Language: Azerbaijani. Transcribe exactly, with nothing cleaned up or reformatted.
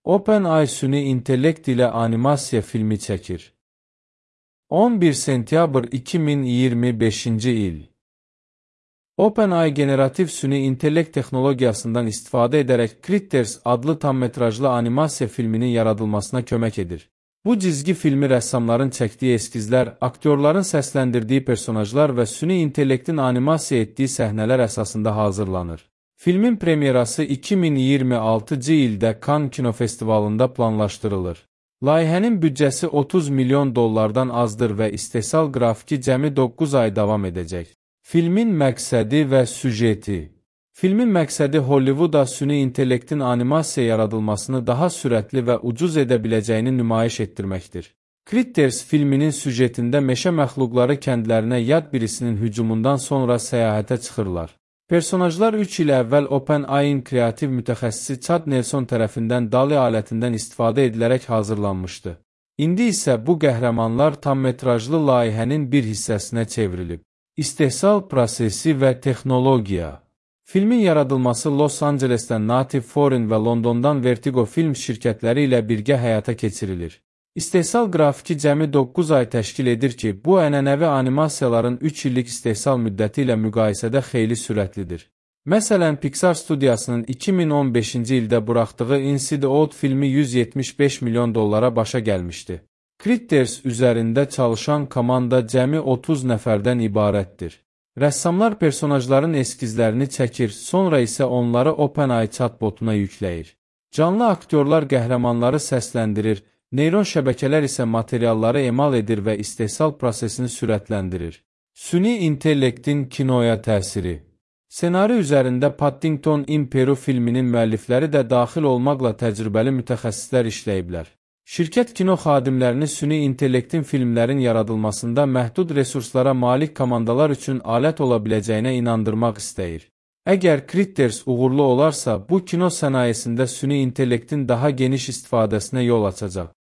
OpenAI süni intellekt ilə animasiya filmi çəkir. on bir sentyabr iki min iyirmi beşinci il. OpenAI generativ süni intellekt texnologiyasından istifadə edərək Critters adlı tammetrajlı animasiya filminin yaradılmasına kömək edir. Bu cizgi filmi rəssamların çəkdiyi eskizlər, aktyorların səsləndirdiyi personajlar və süni intellektin animasiya etdiyi səhnələr əsasında hazırlanır. Filmin premyerası iki min iyirmi altıncı ildə Cannes kinofestivalında planlaşdırılır. Layihənin büdcəsi otuz milyon dollardan azdır və istehsal qrafiki cəmi doqquz ay davam edəcək. Filmin məqsədi və süjeti. Filmin məqsədi Hollivooda süni intellektin animasiya yaradılmasını daha sürətli və ucuz edə biləcəyini nümayiş etdirməkdir. Critters filminin süjetində meşə məxluqları kəndlərinə yad birisinin hücumundan sonra səyahətə çıxırlar. Personajlar üç il əvvəl OpenAI-in kreativ mütəxəssisi Chad Nelson tərəfindən D A L L-E alətindən istifadə edilərək hazırlanmışdı. İndi isə bu qəhrəmanlar tammetrajlı layihənin bir hissəsinə çevrilib. İstehsal prosesi və texnologiya. Filmin yaradılması Los Angelesdən Native Foreign və Londondan Vertigo film şirkətləri ilə birgə həyata keçirilir. İstehsal qrafiki cəmi doqquz ay təşkil edir ki, bu ənənəvi animasiyaların üç illik istehsal müddəti ilə müqayisədə xeyli sürətlidir. Məsələn, Pixar studiyasının iki min on beşinci ildə buraxdığı Inside Out filmi yüz yetmiş beş milyon dollara başa gəlmişdi. Critters üzərində çalışan komanda cəmi otuz nəfərdən ibarətdir. Rəssamlar personajların eskizlərini çəkir, sonra isə onları OpenAI chatbotuna yükləyir. Canlı aktyorlar qəhrəmanları səsləndirir, neyron şəbəkələr isə materialları emal edir və istehsal prosesini sürətləndirir. Süni intellektin kinoya təsiri. Senari üzərində Paddington in Peru filminin müəllifləri də daxil olmaqla təcrübəli mütəxəssislər işləyiblər. Şirkət kino xadimlərini süni intellektin filmlərin yaradılmasında məhdud resurslara malik komandalar üçün alət ola biləcəyinə inandırmaq istəyir. Əgər Critters uğurlu olarsa, bu kino sənayesində süni intellektin daha geniş istifadəsinə yol açacaq.